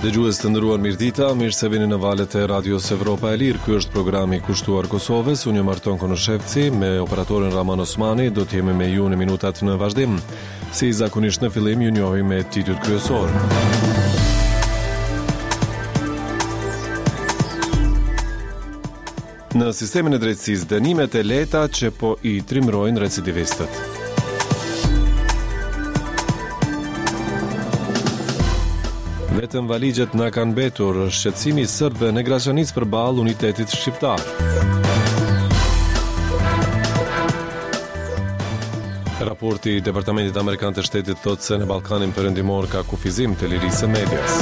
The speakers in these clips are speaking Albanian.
Dëgjues të nderuar mirëdita, mirë se vini në valët e Radios Evropa e Lirë. Ky është programi kushtuar Kosovës. Unë jam Arton Konushevci, me operatorin Rrahman Osmani, do të jemi me ju në minutat në vazhdim. Si zakonisht në fillim, ju njohim me titujt kryesorë. Në sistemin e drejtësisë, dënimet e lehta që po i trimërojnë recidivistët. Vetëm valixhet na kanë mbetur, shqetësimi i serbëve në Graçanicë përballë unitetit shqiptar. Raporti i Departamentit Amerikan të Shtetit thotë se në Ballkanin Perëndimor ka kufizim të lirisë së medias.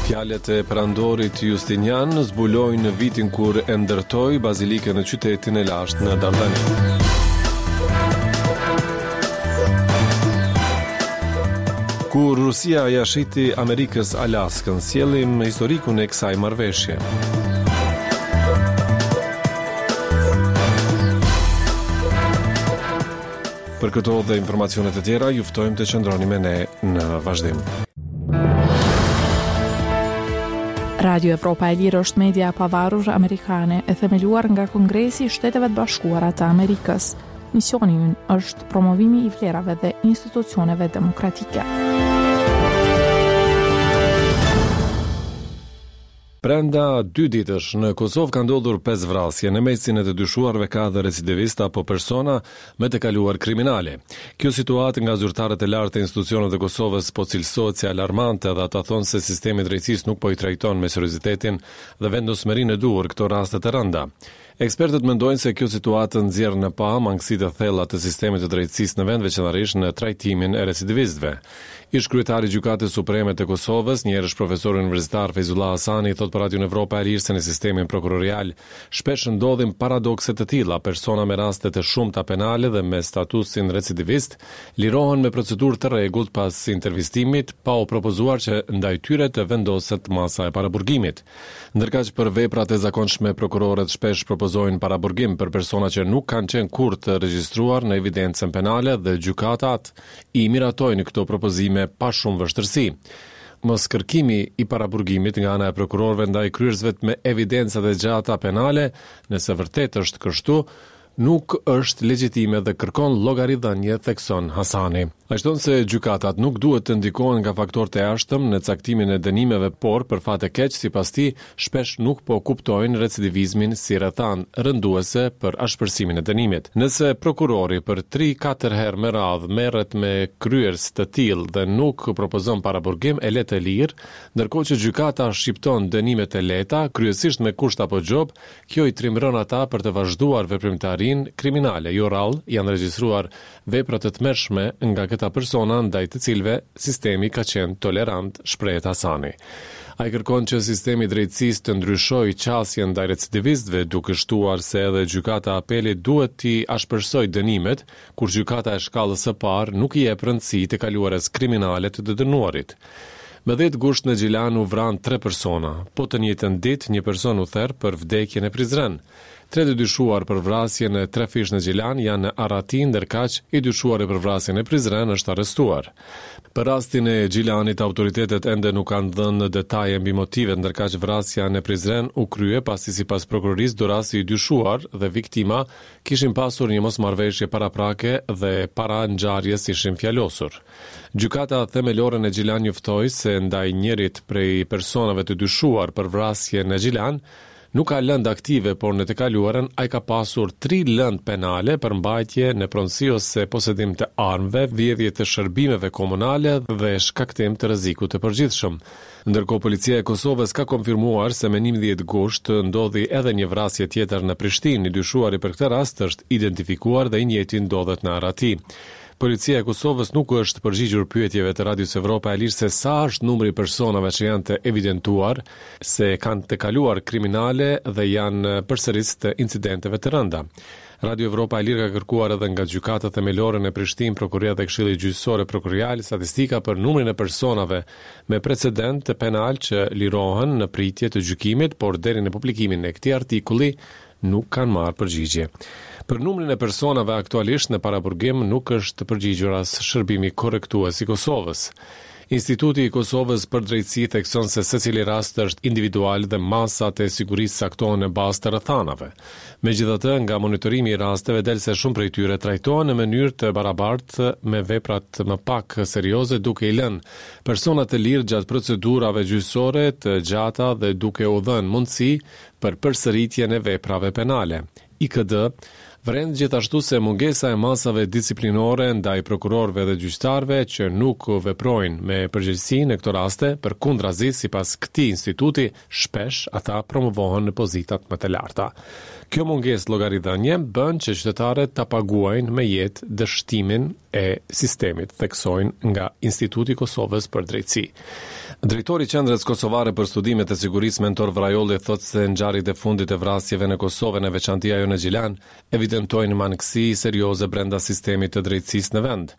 Fjalët e perandorit Justinian zbulojnë vitin kur e ndërtoi bazilikën në qytetin e lashtë në Dardani. Kur Rusia ia shiti Amerikës Alaskën, sjellim historikun e kësaj marrëveshje. Për këto dhe informacione të tjera, ju ftojmë të qëndroni me ne në vazhdim. Radio Evropa e Lirë është media e pavarur amerikane e themeluar nga Kongresi i Shteteve të Bashkuara të Amerikës. Misioni ynë është promovimi i vlerave dhe institucioneve demokratike. Brenda dy ditësh, në Kosovë ka ndodhur pesë vrasje, në mesin e të dyshuarve ka edhe recidivistë apo persona me të kaluar kriminale. Kjo situatë nga zyrtarët e lartë të institucioneve të Kosovës po cilësohet si alarmante dhe ata thonë se sistemi i drejtësisë nuk po i trajton me seriozitetin dhe vendosmërinë e duhur këto raste të rënda. Ekspertët mendojnë se kjo situatë nxjerr në pah mangësitë e thella të sistemit të drejtësisë në vend, veçanërisht në trajtimin e recidivistëve. Ish-kryetari i Gjykatës Supreme të Kosovës, njëherësh profesori universitar Fejzullah Hasani thotë për Radion Evropa e Lirë se në sistemin prokurorial shpesh ndodhin paradokse të tilla, persona me raste të shumta penale dhe me statusin recidivist lirohen me procedurë të rregullt pas intervistimit, pa u propozuar që ndaj tyre të vendoset masa e paraburgimit. Ndërkaq për veprat e zakonshme prokurorët shpesh propozojnë paraburgim për persona që nuk kanë qenë kurrë të regjistruar në evidencën penale dhe gjykatat i miratojnë këto propozime pa shumë vështirësi. Moskërkimi i paraburgimit nga ana e prokurorëve ndaj kryerësve me evidenca të gjata penale, nëse vërtet është kështu, nuk është legjitime dhe kërkon llogaridhënie, thekson Hasani. Ai shton se gjykatat nuk duhet të ndikohen nga faktorë të jashtëm në caktimin e dënimeve, por, për fat të keq, sipas tij, shpesh nuk po kuptojnë recidivizmin si rrethanë rënduese për ashpërsimin e dënimit. Nëse prokurori për tri-katër herë me radhë merret me kryerës të tillë dhe nuk propozon paraburgim, e le të lirë, ndërkohë që gjykata shqipton dënime të lehta, kryesisht me kusht apo gjobë, Kjo i trimëron ata për të vazhduar veprimtarinë kriminale. Jo rrallë janë regjistruar vepra të tmerrshme nga këta persona ndaj të cilëve sistemi ka qenë tolerant, shprehet Hasani. Ai kërkon që sistemi i drejtësisë të ndryshojë qasjen ndaj recidivistëve, duke shtuar se edhe Gjykata e Apelit duhet t'i ashpërsojë dënimet, kur gjykata e shkallës së parë nuk i jep rëndësi të kaluarës kriminale të të dënuarit. Më dhjetë gusht në Gjilan u vranë tre persona. Po të njëjtën ditë, një person u ther për vdekje në Prizren. Tre të dyshuar për vrasjen e trefishtë në Gjilan janë në arrati, ndërkaq i dyshuari për vrasjen në Prizren është arrestuar. Për rastin e Gjilanit, autoritetet ende nuk kanë dhënë detaje mbi motivet, ndërkaq vrasja në Prizren u krye pasi sipas prokurorisë dorasi i dyshuar dhe viktima kishin pasur një mosmarrëveshje paraprake dhe para ngjarjes ishin fjalosur. Gjykata Themelore në Gjilan njoftoi se ndaj njërit prej personave të dyshuar për vrasje në Gjilan, nuk ka lëndë aktive, por në të kaluarën ai ka pasur tri lëndë penale për mbajtje në pronësi ose posedim të armëve, vjedhje të shërbimeve komunale dhe shkaktim të rrezikut të përgjithshëm. Ndërkohë Policia e Kosovës ka konfirmuar se më 11 gusht ndodhi edhe një vrasje tjetër në Prishtinë. I dyshuari për këtë rast është identifikuar dhe i njëjti ndodhet në arrati. Policia e Kosovës nuk u është përgjigjur pyetjeve të Radios Evropa e Lirë se sa është numri i personave që janë të evidentuar se kanë të kaluar kriminale dhe janë përsëritës të incidenteve të rënda. Radio Evropa e Lirë ka kërkuar edhe nga Gjykata Themelore në Prishtinë, Prokuroria dhe Këshilli Gjyqësor e Prokurorial statistika për numrin e personave me precedent penal që lirohen në pritje të gjykimit, por deri në publikimin e këtij artikulli nuk kanë marrë përgjigje. Për numrin e personave aktualisht në paraburgim nuk është përgjigjur as Shërbimi Korrektues i Kosovës. Instituti i Kosovës për Drejtësi thekson se secili rast është individual dhe masat e sigurisë caktohen në bazë të rrethanave. Megjithatë, nga monitorimi i rasteve del se shumë prej tyre trajtohen në mënyrë të barabartë me veprat më pak serioze duke i lënë personat të lirë gjatë procedurave gjyqësore të gjata dhe duke u dhënë mundësi për përsëritjen e veprave penale. IKD vëren gjithashtu se mungesa e masave disiplinore ndaj prokurorëve dhe gjyqtarëve që nuk veprojnë me përgjegjësi në këto raste, përkundrazi sipas këtij instituti, shpesh ata promovohen në pozitat më të larta. Kjo mungesë llogaridhënie bën që qytetarët ta paguajnë me jetë dështimin e sistemit, theksojnë nga Instituti i Kosovës për Drejtësi. Drejtori i Qendrës Kosovare për Studime të Sigurisë, Mentor Vrajolli, thotë se ngjarjet e fundit të vrasjeve në Kosovë, në veçanti ajo në Gjilan, evidentojnë mangësi serioze brenda sistemit të drejtësisë në vend.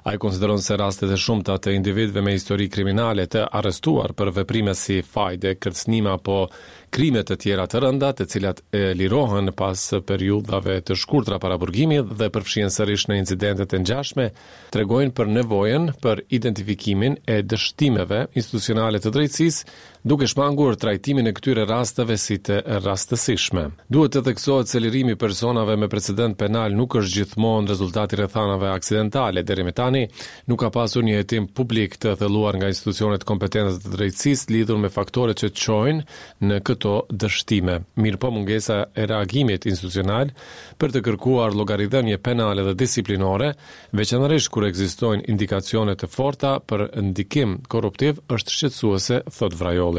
Ai konsideron se rastet e shumta të individëve me histori kriminale të arrestuar për veprime si fajde, kërcënime apo krime të tjera të rënda, të cilat lirohen pas periudhave të shkurtra paraburgimi dhe përfshihen sërish në incidente të ngjashme, tregojnë për nevojën për identifikimin e dështimeve institucionale të drejtësisë, duke shmangur trajtimin e këtyre rasteve si të rastësishme. Duhet të theksohet se lirimi i personave me precedent penal nuk është gjithmonë rezultat i rrethanave aksidentale. Deri më tani, nuk ka pasur një hetim publik të thelluar nga institucionet kompetente të drejtësisë lidhur me faktorët që çojnë në këto dështime. Mirëpo mungesa e reagimit institucional për të kërkuar llogaridhënie penale dhe disiplinore, veçanërisht kur ekzistojnë indikacione të forta për ndikim korruptiv, është shqetësuese, thotë Vrajolli.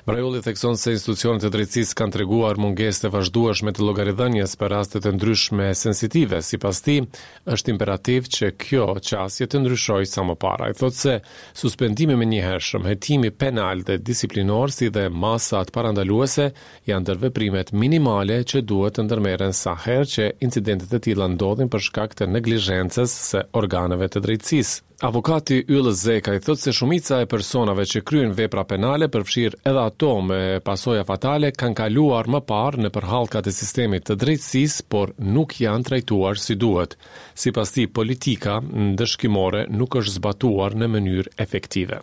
Vrajolli thekson se institucionet e drejtësisë kanë treguar mungesë të vazhdueshme të llogaridhënies për raste të ndryshme sensitive. Sipas tij, është imperativ që kjo qasje të ndryshojë sa më parë. Ai thotë se suspendimi i menjëhershëm, hetimi penal dhe disiplinor si dhe masat parandaluese janë ndër veprimet minimale që duhet të ndërmerren sa herë që incidente të tilla ndodhin për shkak të neglizhencës së organeve të drejtësisë. Avokati Yll Zekaj thotë se shumica e personave që kryejnë vepra penale, përfshirë edhe ato me pasoja fatale, kanë kaluar më parë nëpër hallkat e sistemit të drejtësisë, por nuk janë trajtuar si duhet. Sipas tij, politika ndëshkimore nuk është zbatuar në mënyrë efektive.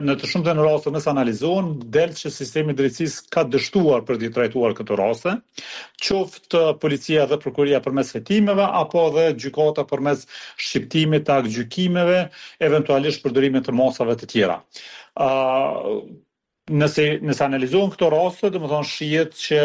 Në të shumtën e rasteve nëse analizohen, del që sistemi i drejtësisë ka dështuar për t'i trajtuar këto raste, qoftë policia dhe prokuroria përmes hetimeve apo edhe gjykata përmes shqiptimit të aktgjykimeve, eventualisht përdorimit të masave të tjera. Nëse nëse analizohen këto raste, domethënë shihet që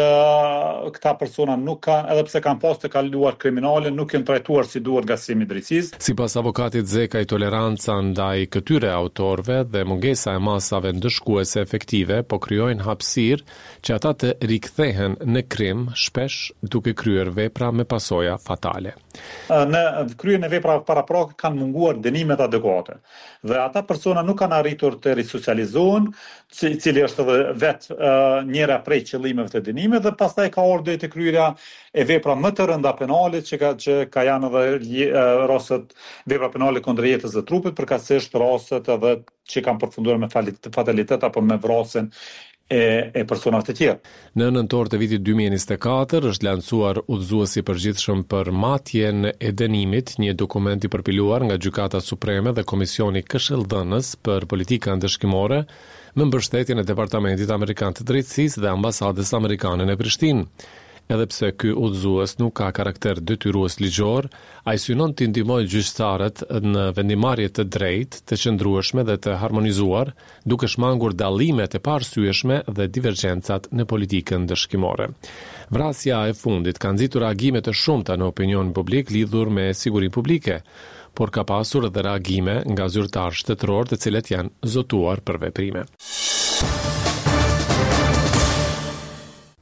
këta persona nuk kanë, edhe pse kanë pas të kaluar kriminale, nuk janë trajtuar si duhet nga sistemi i drejtësisë. Sipas avokatit Zekaj, toleranca ndaj këtyre autorëve dhe mungesa e masave ndëshkuese efektive po krijojnë hapësirë që ata të rikthehen në krim, shpesh duke kryer vepra me pasoja fatale. Në kryerjen e veprave paraprake kanë munguar dënimet adekuate dhe ata persona nuk kanë arritur të risocializohen, i cili është edhe vetë njëra prej qëllimeve të dënimit dhe pastaj ka ardhur deri te kryerja e vepra më të rënda penale që ka që ka janë edhe rastet vepra penale kundër jetës dhe trupit, përkatësisht rastet edhe që kanë përfunduar me fatalitet apo me vrasjen e, e personave të tjerë. Në nëntor të vitit 2024 është lansuar Udhëzuesi i Përgjithshëm për Matjen e Dënimit, një dokument i përpiluar nga Gjykata Supreme dhe Komisioni Këshilldhënës për Politika Ndëshkimore me mbështetjen e Departamentit Amerikan të Drejtësisë dhe Ambasadës Amerikane në Prishtinë. Edhe pse ky udhëzues nuk ka karakter detyrues ligjor, ai synon t'i ndihmojë gjyqtarët në vendimmarrje të drejtë, të qëndrueshme dhe të harmonizuar, duke shmangur dallimet e paarsyeshme dhe divergjencat në politikën ndëshkimore. Vrasja e fundit ka nxitur reagime të shumta në opinionin publik lidhur me sigurinë publike, por ka pasur edhe reagime nga zyrtarë shtetërorë të cilët janë zotuar për veprime.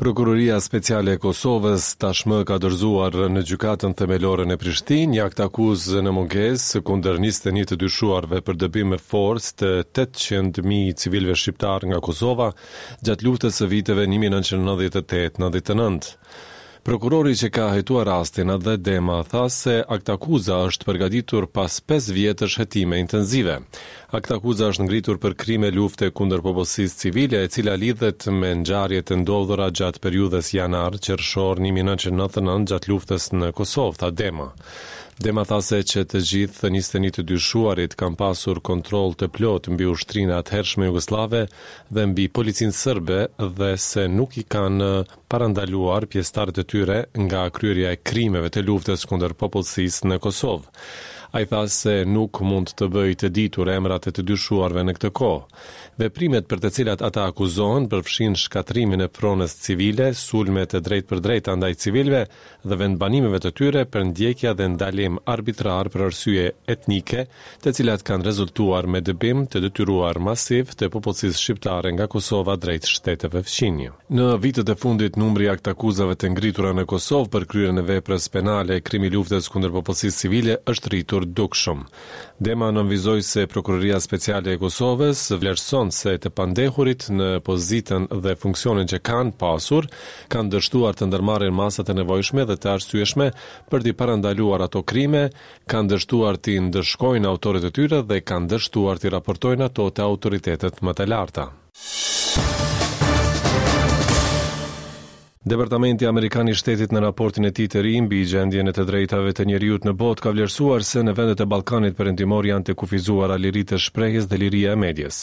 Prokuroria Speciale e Kosovës tashmë ka dorëzuar në Gjykatën Themelore në Prishtinë një aktakuzë në mungesë kundër 21 të dyshuarve për dëbim me forcë të 800.000 civilëve shqiptarë nga Kosova gjatë luftës së viteve 1998-99. Prokurori që ka hetuar rastin, Atdhe Dema, tha se aktakuza është përgatitur pas pesë vjetësh hetime intensive. Aktakuza është ngritur për krime lufte kundër popullsisë civile, e cila lidhet me ngjarjet e ndodhura gjatë periudhës janar, qershor 1999 gjatë luftës në Kosovë, tha Dema. Dema tha se që të gjithë 21 të dyshuarit kanë pasur kontroll të plotë mbi ushtrinë e atëhershme jugosllave dhe mbi policinë serbe dhe se nuk i kanë parandaluar pjesëtarët e tyre nga kryerja e krimeve të luftës kundër popullsisë në Kosovë. Ai tha se nuk mund të bëjë të ditur emrat e të dyshuarve në këtë kohë. Veprimet për të cilat ata akuzohen përfshijnë shkatërrimin e pronës civile, sulme të drejtpërdrejta ndaj civilëve dhe vendbanimeve të tyre, përndjekja dhe ndalim arbitrar për arsye etnike, të cilat kanë rezultuar me dëbim të detyruar masiv të popullsisë shqiptare nga Kosova drejt shteteve fqinjë. Në vitet e fundit, numri i aktakuzave të ngritura në Kosovë për kryerjen e veprës penale krim i luftës kundër popullsisë civile është rritur dukshëm. Dema nënvizoi se Prokuroria Speciale e Kosovës vlerëson se të pandehurit në pozitën dhe funksionin që kanë pasur, kanë dështuar të ndërmarrin masat e nevojshme dhe të arsyeshme për t'i parandaluar ato krime, kanë dështuar t'i ndëshkojnë autorët e tyre dhe kanë dështuar t'i raportojnë ato te autoritetet më të larta. Departamenti Amerikan i Shtetit në raportin e tij të ri mbi gjendjen e të drejtave të njeriut në botë ka vlerësuar se në vendet e Ballkanit Perëndimor janë të kufizuara liritë e shprehjes dhe liria e medias.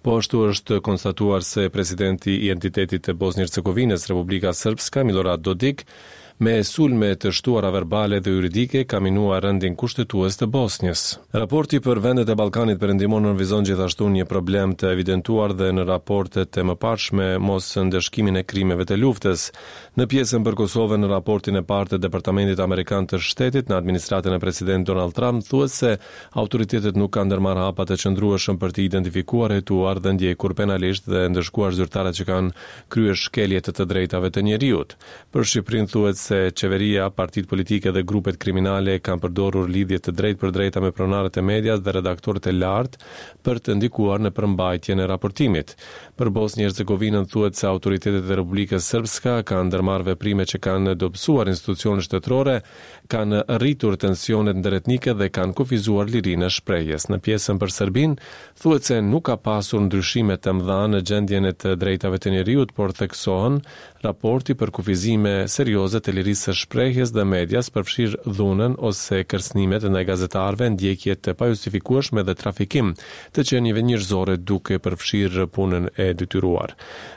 Po ashtu është konstatuar se presidenti i entitetit të Bosnjë-Hercegovinës, Republika Srpska, Milorad Dodik, me sulme të shtuara verbale dhe juridike ka minuar rendin kushtetues të Bosnjës. Raporti për vendet e Ballkanit Perëndimor nënvizon gjithashtu një problem të evidentuar dhe në raportet e mëparshme, mosndëshkimin e krimeve të luftës. Në pjesën për Kosovën në raportin e parë të Departamentit Amerikan të Shtetit në administratën e presidentit Donald Trump thuhet se autoritetet nuk kanë ndërmarrë hapa të qëndrueshëm për të identifikuar, hetuar dhe ndjekur penalisht dhe ndëshkuar zyrtarët që kanë kryer shkelje të të drejtave të njeriut. Për Shqipërinë thuhet se qeveria, partitë politike dhe grupet kriminale kanë përdorur lidhje të drejtpërdrejta me pronarët e medias dhe redaktorët e lartë për të ndikuar në përmbajtjen e raportimit. Për Bosnjë-Hercegovinën thuhet se autoritetet e Republikës Srpska kanë ndërmarrë veprime që kanë dobësuar institucionet shtetërore, kanë rritur tensionet ndëretnike dhe kanë kufizuar lirinë e shprehjes. Në pjesën për Serbinë, thuhet se nuk ka pasur ndryshime të mëdha në gjendjen e të drejtave të njeriut, por theksohen Raporti për kufizime serioze të lirisë së shprehjes dhe medias, përfshirë dhunën ose kërcënimet ndaj gazetarëve, ndjekje të pajustifikueshme dhe trafikim të qenieve njerëzore duke përfshirë punën e detyruar.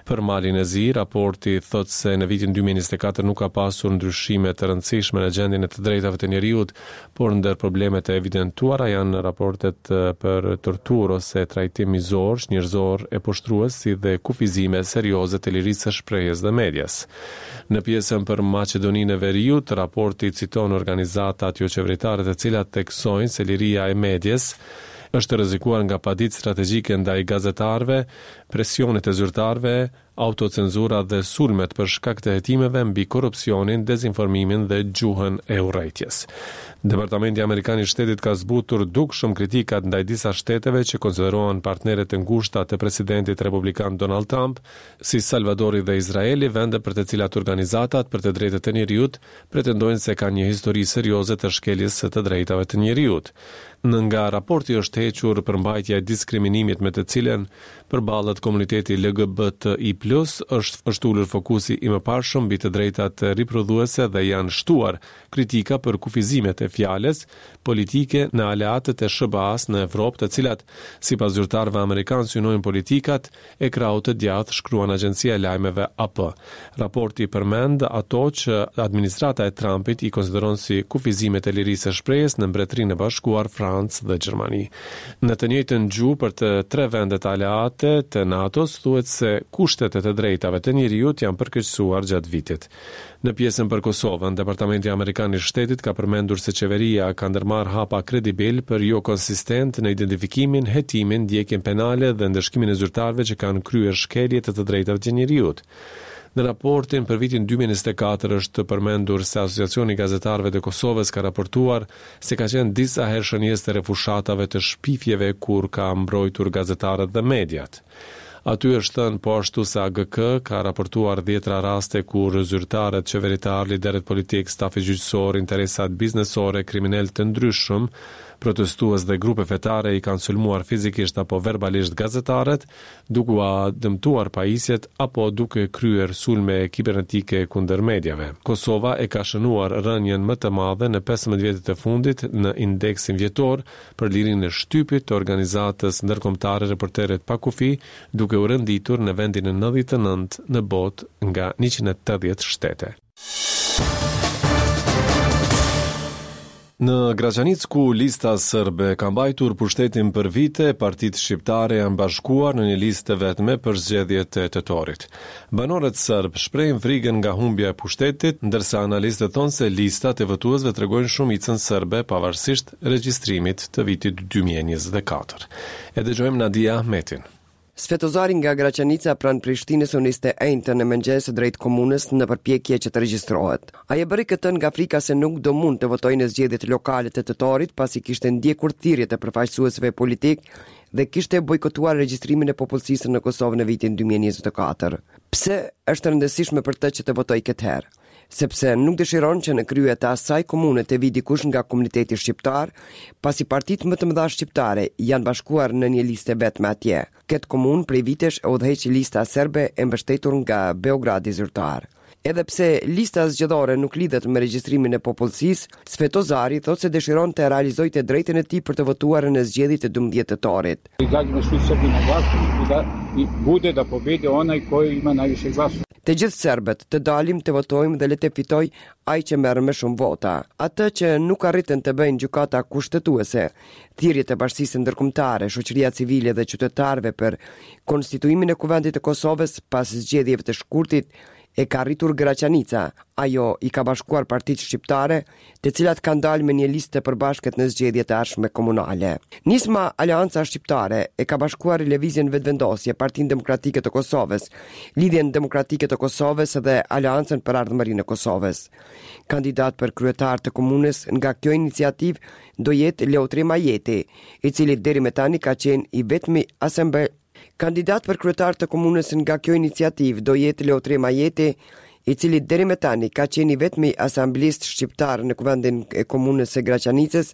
Për Malin e Zi, raporti thotë se në vitin 2024 nuk ka pasur ndryshime të rëndësishme në gjendjen e të drejtave të njeriut, por ndër problemet e evidentuara janë raportet për torturë ose trajtim mizor, çnjerëzor e poshtërues si dhe kufizime serioze të lirisë së shprehjes dhe medias. Në pjesën për Maqedoninë e Veriut, raporti citon organizatat joqeveritare të cilat theksojnë se liria e medies është rrezikuar nga paditë strategjike ndaj gazetarëve, presionet e zyrtarëve, autocenzura dhe sulmet për shkak të hetimeve mbi korrupsionin, dezinformimin dhe gjuhën e urrejtjes. Departamenti Amerikan i Shtetit ka zbutur dukshëm kritikat ndaj disa shteteve që konsiderohen partnere të ngushta të presidentit republikan Donald Trump, si Salvadori dhe Izraeli, vende për të cilat organizatat për të drejtat e njeriut pretendojnë se kanë një histori serioze të shkeljes së të drejtave të njeriut. Në nga raporti është hequr përmbajtja e diskriminimit me të cilën përballet komuniteti LGBTI+, është është ulur fokusi i mëparshëm mbi të drejtat riprodhuese dhe janë shtuar kritika për kufizimet e fjalës politike në aleatët e SHBA-së në Evropë, të cilat, sipas zyrtarëve amerikanë, synojnë politikat e krahut të djathtë, shkruan agjencia e lajmeve AP. Raporti përmend ato që administrata e Trumpit i konsideron si kufizimet e lirisë së shprehjes në Mbretërinë e Bashkuar, Francë dhe Gjermani. Në të njëjtën gjuhë për të tre vendet aleate të NATO-s thuhet se kushtet e të drejtave të njeriut janë përkeqësuar gjatë vitit. Në pjesën për Kosovën, Departamenti Amerikan i Shtetit ka përmendur se qeveria ka ndërmarrë hapa kredibil por jokonsistentë në identifikimin, hetimin, ndjekjen penale dhe ndëshkimin e zyrtarëve që kanë kryer shkelje të të drejtave të njeriut. Në raportin për vitin 2024 është përmendur se Asociacioni i Gazetarëve të Kosovës ka raportuar se ka qenë disa herë shënjestër e fushatave të shpifjeve kur ka mbrojtur gazetarët dhe mediat. Aty është thënë po ashtu se AGK ka raportuar dhjetëra raste kur zyrtarët qeveritarë, liderët politikë, stafi gjyqësor, interesat biznesore, kriminelë të ndryshëm, protestues dhe grupe fetare i kanë sulmuar fizikisht apo verbalisht gazetarët, duke ua dëmtuar pajisjet apo duke kryer sulme kibernetike kundër mediave. Kosova e ka shënuar rënien më të madhe në 15 vjetët e fundit në indeksin vjetor për lirinë e shtypit të organizatës ndërkombëtare Reporterët pa Kufij, duke u renditur në vendin e 99 në botë nga 180 shtete. Në Graçanicë ku Lista Sërbe ka mbajtur pushtetin për vite, partitë shqiptare janë bashkuar në një listë të vetme për zgjedhjet e tetorit. Banorët serbë shprehin frikën nga humbja e pushtetit, ndërsa analistët thonë se listat e votuesve tregojnë shumicën serbe pavarësisht regjistrimit të vitit 2024. E dëgjojmë Nadia Ahmetin. Svetozari nga Graçanica pranë Prishtinës u nis të enjten në mëngjes drejt komunës në përpjekje që të regjistrohet. Ai e bëri këtë nga frika se nuk do mund të votojë në zgjedhjet lokale të tetorit pasi kishte ndjekur thirrjet e përfaqësuesve politikë dhe kishte bojkotuar regjistrimin e popullsisë në Kosovë në vitin 2024. Pse është e rëndësishme për të që të votojë këtë herë? Sepse nuk dëshiron që në krye të asaj komune të vijë dikush nga komuniteti shqiptar, pasi partitë më të mëdha shqiptare janë bashkuar në një listë të vetme atje. Këtë komunë prej vitesh e udhëheq lista serbe e mbështetur nga Beogradi zyrtar. Edhe pse lista zgjedhore nuk lidhet me regjistrimin e popullsisë, Svetozari thotë se dëshiron të realizojë të drejtën e tij për të votuar në zgjedhjet e 12 tetorit. Izađemo svi Srbi na glas i da i bude da pobedi onaj koji ima najviše glasova. Të gjithë serbët, të dalim të votojmë dhe le të fitojë ai që merr më shumë vota. Atë që nuk arritën të bëjnë gjykata kushtetuese, thirrjet e bashkësisë ndërkombëtare, shoqëria civile dhe qytetarëve për konstituimin e Kuvendit të Kosovës pas zgjedhjeve të shkurtit e ka arritur Graçanica. Ajo i ka bashkuar partitë shqiptare, të cilat kanë dalë me një listë të përbashkët në zgjedhjet e ardhshme komunale. Nisma Aleanca Shqiptare e ka bashkuar Lëvizjen Vetëvendosje, Partinë Demokratike të Kosovës, Lidhjen Demokratike të Kosovës dhe Aleancën për Ardhmërinë e Kosovës. Kandidat për kryetar të komunës nga kjo iniciativë do jetë Leotrim Ajeti, i cili deri më tani ka qenë i vetmi asamble Kandidat për kryetar të komunës nga kjo iniciativë do jetë Leotrim Ajeti, i cili deri më tani ka qenë i vetmi asamblist shqiptar në kuvendin e komunës së Graçanicës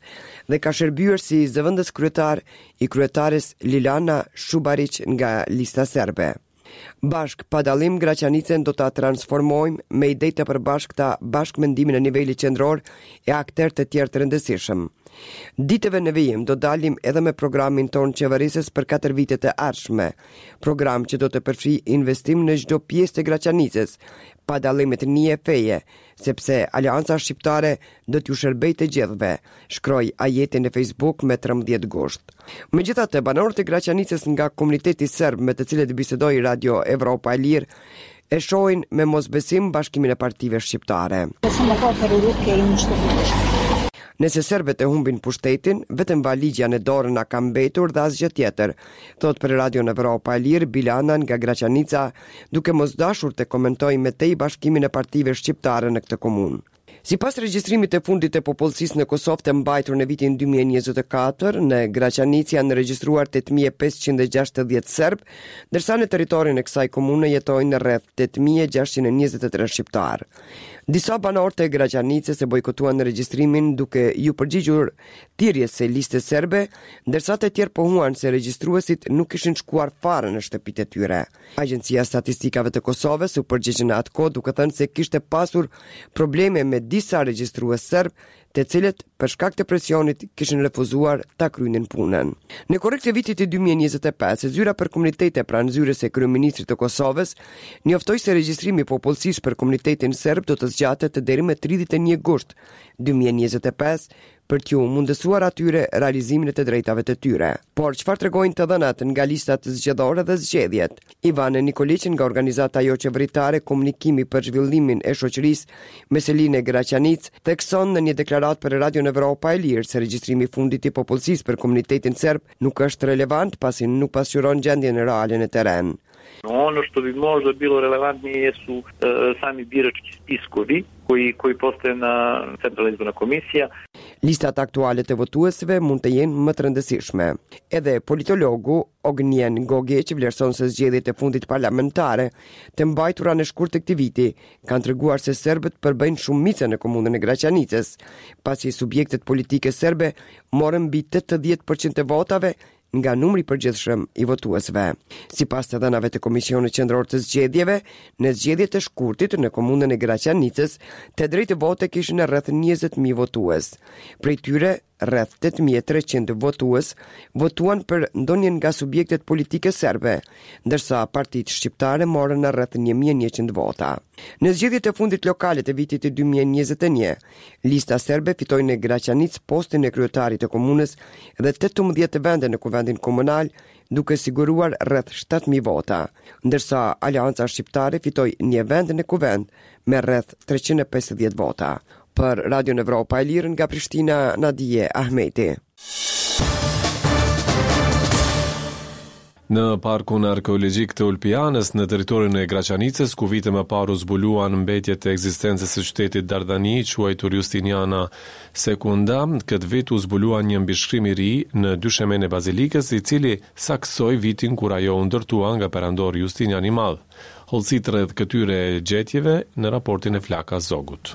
dhe ka shërbyer si zëvendës kryetar i kryetares Lilana Shubariq nga Lista Serbe. Bashkë, pa dallim, Graçanicën do ta transformojmë me ide të përbashkëta, bashkëmendimin e nivelit qendror e akterë të tjerë të rëndësishëm. Ditëve në vijim do dalim edhe me programin tonë qeverisës për 4 vitet e ardhshme, program që do të përfshijë investim në çdo pjesë të Graçanicës, pa dallim etnie e feje, sepse Aleanca Shqiptare do t'ju shërbejë të gjithëve, shkroi Ajeti në Facebook me 13 gusht. Megjithatë, banorët e Graçanicës nga komuniteti serb me të cilët bisedoi Radio Evropa e Lirë, e shohin me mosbesim bashkimin e partive shqiptare. Nëse serbët e humbin pushtetin, vetëm valixhja në dorë na ka mbetur dhe asgjë tjetër, thotë për Radion Evropa e Lirë Bilana nga Graçanica, duke mos dashur të komentojë më tej bashkimin e partive shqiptare në këtë komunë. Sipas regjistrimit të fundit të popullsisë në Kosovë të mbajtur në vitin 2024, në Graçanicë janë regjistruar 8560 serbë, ndërsa në territorin e kësaj komune jetojnë rreth 8623 shqiptarë. Disa banorë të Graçanicës e bojkotuan regjistrimin duke iu përgjigjur thirrjes së listës serbe, ndërsa të tjerë pohuan se regjistruesit nuk kishin shkuar fare në shtëpitë e tyre. Agjencia e Statistikave të Kosovës u përgjigj në atë kohë duke thënë se kishte pasur probleme me disa regjistrues serbë, të cilët për shkak të presionit kishin refuzuar ta kryenin punën. Në korrik të vitit 2025, Zyra për Komunitete pranë zyrës së Kryeministrit të Kosovës njoftoi se regjistrimi i popullsisë për komunitetin serb do të zgjatet deri më 31 gusht 2025 për t'ju mundësuar atyre realizimin e të drejtave të tyre. Por çfarë tregojnë të dhënat nga listat zgjedhore dhe zgjedhjet? Ivan Nikoliq nga organizata joqeveritare Komunikimi për zhvillimin e shoqërisë me seli në Graçanicë, thekson në një deklaratë për Radion Evropa e Lirë se regjistrimi i fundit i popullsisë për komunitetin serb nuk është relevant pasi nuk pasqyron gjendjen reale në terren. Ono što bi možda bilo relevantnije jesu e, sami birački spiskovi. koji, koji postoje na Centralna izborna komisija. Listat aktuale të votuesve mund të jenë më të rëndësishme. Edhe politologu Ognjen Gogiq vlerëson se zgjedhjet e fundit parlamentare të mbajtura në shkurt të këtij viti kanë treguar se serbët përbëjnë shumicën në komunën e Graçanicës, pasi subjektet politike serbe morën mbi 80% të votave nga numri i përgjithshëm i votuesve. Sipas të dhënave të Komisionit Qendror të Zgjedhjeve, në zgjedhjet e shkurtit në komunën e Graçanicës, të drejtë vote kishin rreth 20.000 votues. Prej tyre, rreth 8.300 votues votuan për ndonjë nga subjektet politike serbe, ndërsa partitë shqiptare morën rreth 1.100 vota. Në zgjedhjet e fundit lokale të vitit 2021, Lista Serbe fitoi në Graçanicë postin e kryetarit të komunës dhe 18 vende në Kuvendin Komunal, duke siguruar rreth 7.000 vota, ndërsa Aleanca Shqiptare fitoi një vend në Kuvend me rreth 350 vota. Për Radion Evropa e Lirë nga Prishtina, Nadije Ahmeti. Në Parkun Arkeologjik të Ulpianës, në territorin e Graçanicës, ku vite më parë u zbuluan mbetjet e ekzistencës së qytetit Dardani, quajtur Justiniana Secunda, këtë vit u zbulua një mbishkrim i ri në dyshemenë e bazilikës, i cili saktësoi vitin kur ajo u ndërtua nga perandori Justinian i Madh. Hollësitë rreth këtyre gjetjeve në raportin e Flaka Zogut.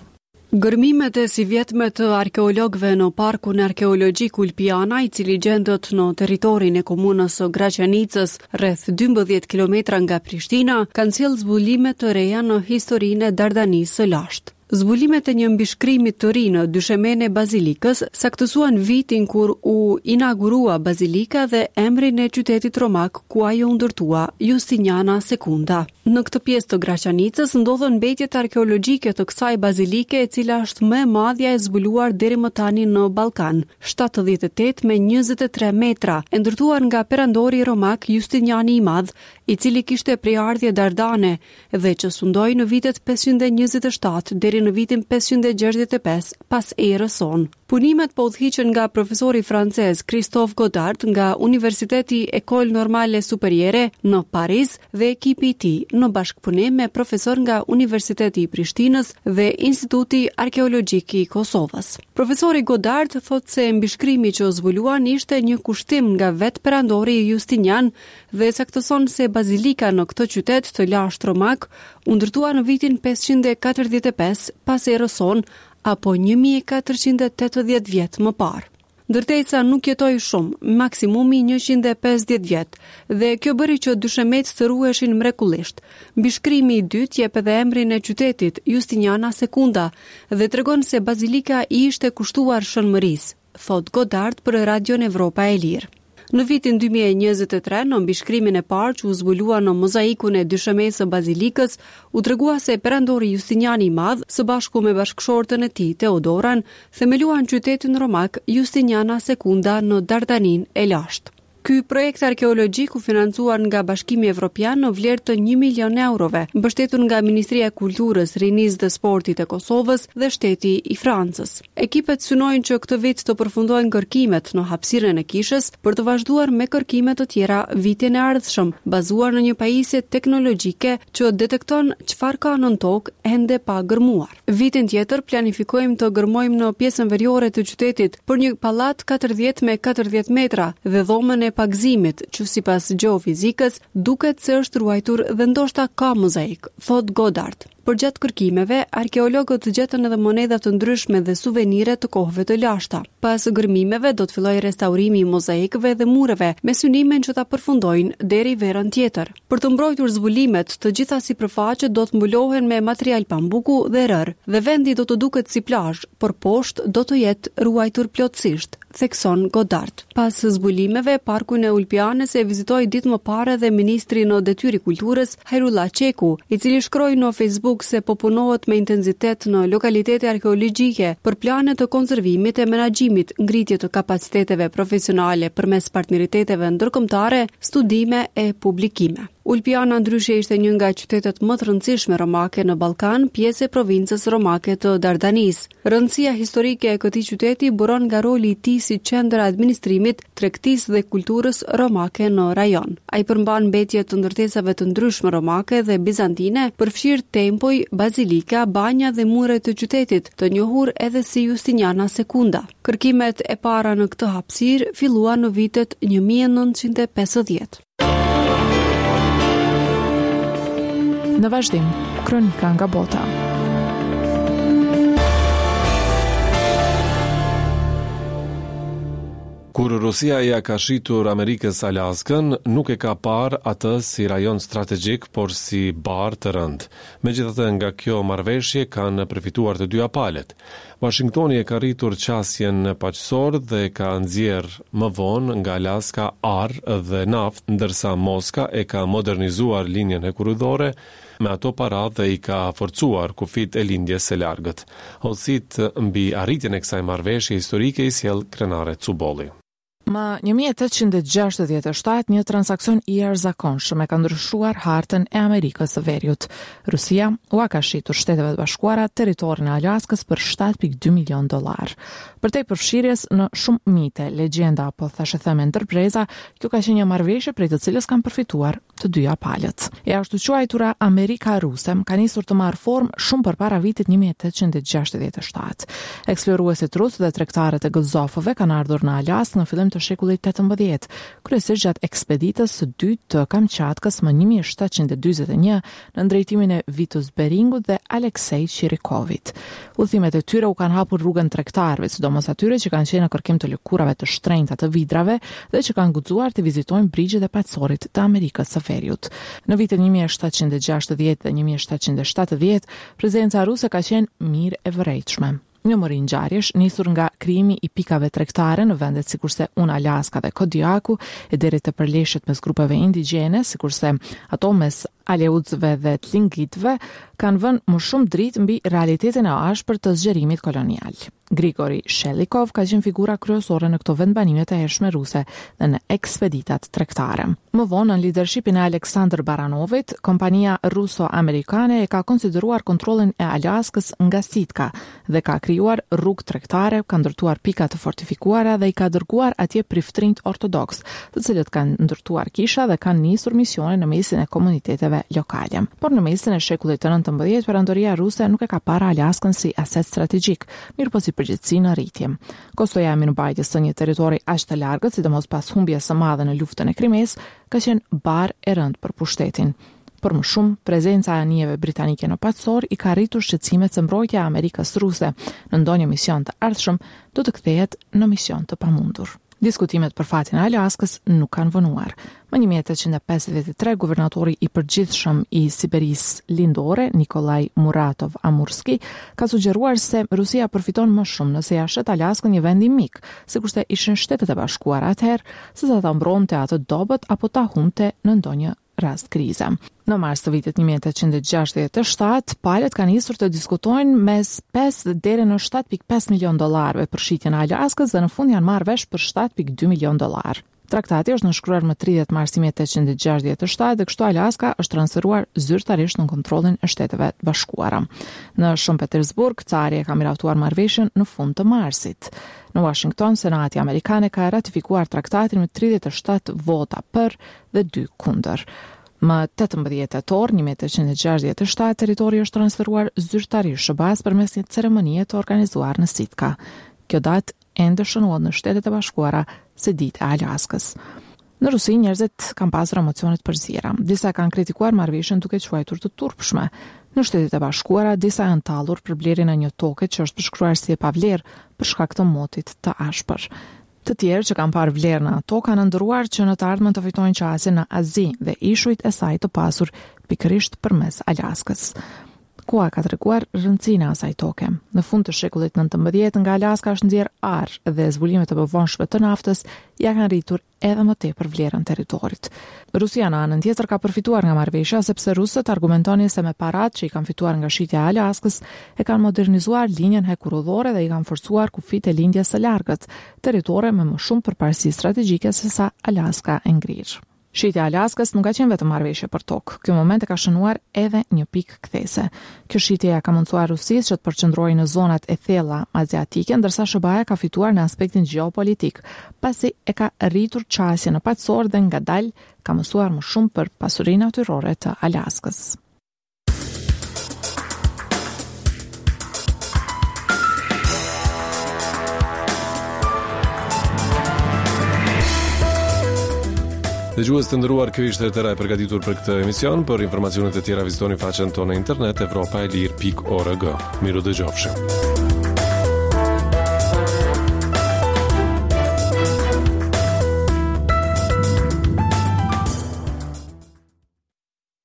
Gërmimet e sivjetme të arkeologëve në Parkun Arkeologjik Ulpiana, i cili gjendet në territorin e komunës së Graçanicës, rreth 12 kilometra nga Prishtina, kanë sjellë zbulime të reja në historinë e Dardanisë së lashtë. Zbulimet e një mbishkrimi të ri në dyshemenë e bazilikës saktësuan vitin kur u inaugurua bazilika dhe emrin e qytetit romak ku ajo u ndërtua, Justiniana Secunda. Në këtë pjesë të Graçanicës ndodhen mbetjet arkeologjike të kësaj bazilike e cila është më e madhja e zbuluar deri më tani në Ballkan, 78 me 23 metra, e ndërtuar nga perandori romak Justiniani i Madh, i cili kishte prejardhje dardane dhe që sundoi në vitet 527 deri në vitin 565 pas erës sonë. Punimet po udhëhiqen nga profesori francez Christophe Godard nga Universiteti École Normale Supérieure në Paris dhe ekipi i tij, në bashkëpunim me profesorë nga Universiteti i Prishtinës dhe Instituti Arkeologjik i Kosovës. Profesori Godard thotë se mbishkrimi që zbuluan ishte një kushtim nga vetë perandori Justinian dhe saktëson se bazilika në këtë qytet të lashtë romak u ndërtua në vitin 545 pas erës sonë apo 1480 vjet më parë. Ndërtesa nuk jetoi shumë, maksimumi 150 vjet, dhe kjo bëri që dyshemetë të ruheshin mrekullisht. Mbishkrimi i dytë jep edhe emrin e qytetit, Justiniana Secunda, dhe tregon se bazilika i ishte kushtuar Shën Mërisë, thotë Godard për Radion Evropa e Lirë. Në vitin 2023, në mbishkrimin e parë që u zbulua në mozaikun e dyshemesë së bazilikës, u tregua se perandori Justiniani i Madh, së bashku me bashkëshorten e tij, Teodoran, themeluan qytetin romak Justiniana Secunda në Dardaninë e lashtë. Ky projekt arkeologjik u financua nga Bashkimi Evropian në vlerë të 1 milion eurove, mbështetur nga Ministria e Kulturës, Rinisë dhe Sportit e Kosovës dhe shteti i Francës. Ekipet synojnë që këtë vit të përfundojnë kërkimet në hapësirën e kishës për të vazhduar me kërkime të tjera vitin e ardhshëm, bazuar në një pajisje teknologjike që detekton çfarë ka nën tokë ende pa gërmuar. Vitin tjetër planifikojmë të gërmojmë në pjesën veriore të qytetit për një pallat 40 me 40 metra dhe dhomën e pagëzimit, që sipas gjeofizikës duket se është ruajtur dhe ndoshta ka mozaik, thotë Godard. Përgjatë kërkimeve, arkeologët gjetën edhe monedha të ndryshme dhe suvenire të kohëve të lashta. Pas gërmimeve do të fillojë restaurimi i mozaikëve dhe mureve, me synimin që ta përfundojnë deri verën tjetër. Për të mbrojtur zbulimet, të gjitha sipërfaqet do të mbulohen me material pambuku dhe rërë, dhe vendi do të duket si plazh, por poshtë do të jetë ruajtur plotësisht, thekson Godard. Pas zbulimeve, parkun e Ulpianës e vizitoi ditë më parë edhe ministri në detyrë i Kulturës, Hajrullah Çeku, i cili shkroi në Facebook se po punohet me intensitet në lokalitete arkeologjike për plane të konservimit e menaxhimit, ngritje të kapaciteteve profesionale përmes partneriteteve ndërkombëtare, studime e publikime. Ulpiana ndryshe ishte një nga qytetet më të rëndësishme romake në Ballkan, pjesë e provincës romake të Dardanisë. Rëndësia historike e këtij qyteti buron nga roli i tij si qendër e administrimit, tregtisë dhe kulturës romake në rajon. Ai përmban mbetje të ndërtesave të ndryshme romake dhe bizantine, përfshirë tempuj, bazilika, banja dhe mure të qytetit, të njohur edhe si Justiniana Secunda. Kërkimet e para në këtë hapësirë filluan në vitet 1950. Në vazhdim, kronika nga bota. Kur Rusia ia ka shitur Amerikës Alaskën, nuk e ka parë atë si rajon strategjik, por si barrë të rëndë. Megjithatë, nga kjo marrëveshje kanë përfituar të dyja palët. Uashingtoni e ka rritur qasjen në Paqësor dhe ka nxjerrë më vonë nga Alaska ar dhe naftë, ndërsa Moska e ka modernizuar linjën hekurudhore me ato para dhe i ka forcuar kufijtë e Lindjes së Largët. Hollësitë mbi arritjen e kësaj marrëveshje historike i sjell Krenare Cubolli. Më 1867, një transaksion i jashtëzakonshëm e ka ndryshuar hartën e Amerikës së Veriut. Rusia ua ka shitur Shteteve të Bashkuara territorin e Alaskës për 7.2 milion dollarë. Përtej përfshirjes në shumë mite, legjenda apo thashetheme ndër breza, kjo ka qenë një marrëveshje prej të cilës kanë përfituar të dyja palët. E ashtuquajtura Amerika Ruse ka nisur të marrë formë shumë përpara vitit 1867. Eksploruesit rusë dhe tregtarët e gëzofëve kanë ardhur në Alaskë në fillim të shekullit 18, kryesisht gjatë ekspeditës së dytë të Kamçatkës më 1741 nën drejtimin e Vitus Beringut dhe Aleksej Çirikovit. Udhëtimet e tyre u kanë hapur rrugën tregtarëve, sidomos atyre që kanë qenë në kërkim të lëkurave të shtrenjta të vidrave dhe që kanë guxuar të vizitojnë brigjet e Paqësorit të Amerikës së Veriut. Në vitet 1760 dhe 1770, prezenca ruse ka qenë mirë e vërejtshme. Një mori ngjarjesh, nisur nga krijimi i pikave tregtare në vendet sikurse Unalaska dhe Kodiaku, e deri te përleshjet mes grupeve indigjene, sikurse ato mes Aleutsëve dhe Tlingitëve, kanë vënë më shumë dritë mbi realitetin e ashpër të zgjerimit kolonial. Grigori Shelikov ka qenë figura kryesore në këto vendbanime të hershme ruse dhe në ekspeditat tregtare. Më vonë, nën lidershipin e Aleksandër Baranovit, kompania ruso-amerikane e ka konsideruar kontrollin e Alaskës nga Sitka dhe ka krijuar rrugë tregtare, ka ndërtuar pika të fortifikuara dhe i ka dërguar atje priftërinjtë ortodoksë, të cilët kanë ndërtuar kisha dhe kanë nisur misione në mesin e komuniteteve lokale. Por në mesin e shekullit të 19, perandoria ruse nuk e ka parë Alaskën si aset strategjik, mirëpo si përgjegjësi në rritje. Kostoja e mirëmbajtjes së një territori aq të largët, sidomos pas humbjes së madhe në luftën e Krimesë, ka qenë barrë e rëndë për pushtetin. Për më shumë, prezenca e anijeve britanike në Paqësor i ka rritur shqetësimet se mbrojtja e Amerikës ruse në ndonjë mision të ardhshëm do të kthehet në mision të pamundur. Diskutimet për fatin e Alaskës nuk kanë vonuar. Më 1853, guvernatori i përgjithshëm i Siberisë Lindore, Nikolaj Muratov Amurski, ka sugjeruar se Rusia përfiton më shumë nëse ia shet Alaskën një vendi mik, sikurse ishin Shtetet e Bashkuara atëherë, sesa ta mbronte atë dobët apo ta humbte në ndonjë rast krize. Në mars të vitit 1867, palët kanë nisur të diskutojnë mes 5 deri në 7.5 milion dollarëve për shitjen e Alaskës dhe në fund janë marrë vesh për 7.2 milion dollarë. Traktati është nënshkruar më 30 mars 1867 dhe kështu Alaska është transferuar zyrtarisht në kontrollin e Shteteve të Bashkuara. Në Shën Petersburg, cari e ka miratuar marrëveshjen në fund të marsit. Në Washington, Senati amerikan e ka ratifikuar traktatin me 37 vota për dhe 2 kundër. Më 18 tetor 1867, territori është transferuar zyrtarisht SHBA-së përmes një ceremonie të organizuar në Sitka. Kjo datë ende shënohet në Shtetet e Bashkuara si Ditë e Alaskës. Në Rusi njerëzit kanë pasur emocione të përziera. Disa kanë kritikuar marrëveshjen duke quajtur të turpshme. Në Shtetet e Bashkuara disa janë tallur për blerjen e një toke që është përshkruar si e pavlerë për shkak të motit të ashpër. Të tjerë që kanë parë vlerë në ato kanë ëndërruar që në të ardhmen të fitojnë qasje në Azi dhe ishujt e saj të pasur pikërisht përmes Alaskës. Koha ka treguar rëndësinë e asaj toke. Në fund të shekullit 19 nga Alaska është nxjerrë ar dhe zbulimet e mëvonshme të naftës ia kanë rritur edhe më tepër vlerën territorit. Rusia në anën tjetër ka përfituar nga marrëveshja sepse rusët argumentonin se me paratë që i kanë fituar nga shitja e Alaskës e kanë modernizuar linjën hekurudhore dhe i kanë forcuar kufijtë e lindjes së largët, territore me më shumë përparësi strategjike sesa Alaska e ngrirë. Shitja e Alaskës nuk ka qenë vetëm marrëveshje për tokë. Ky moment e ka shënuar edhe një pikë kthese. Kjo shitje ia ka mundësuar Rusisë që të përqendrohej në zonat e thella aziatike, ndërsa SHBA-ja ka fituar në aspektin gjeopolitik, pasi e ka rritur qasjen në Paqësor dhe ngadalë ka mësuar më shumë për pasurinë natyrore të Alaskës. Dëgjues të nderuar, kjo ishte e tëra e përgatitur për këtë emision. Për informacione të tjera vizitoni faqen tonë në internet evropaelire.org. Mirudëgjofshim.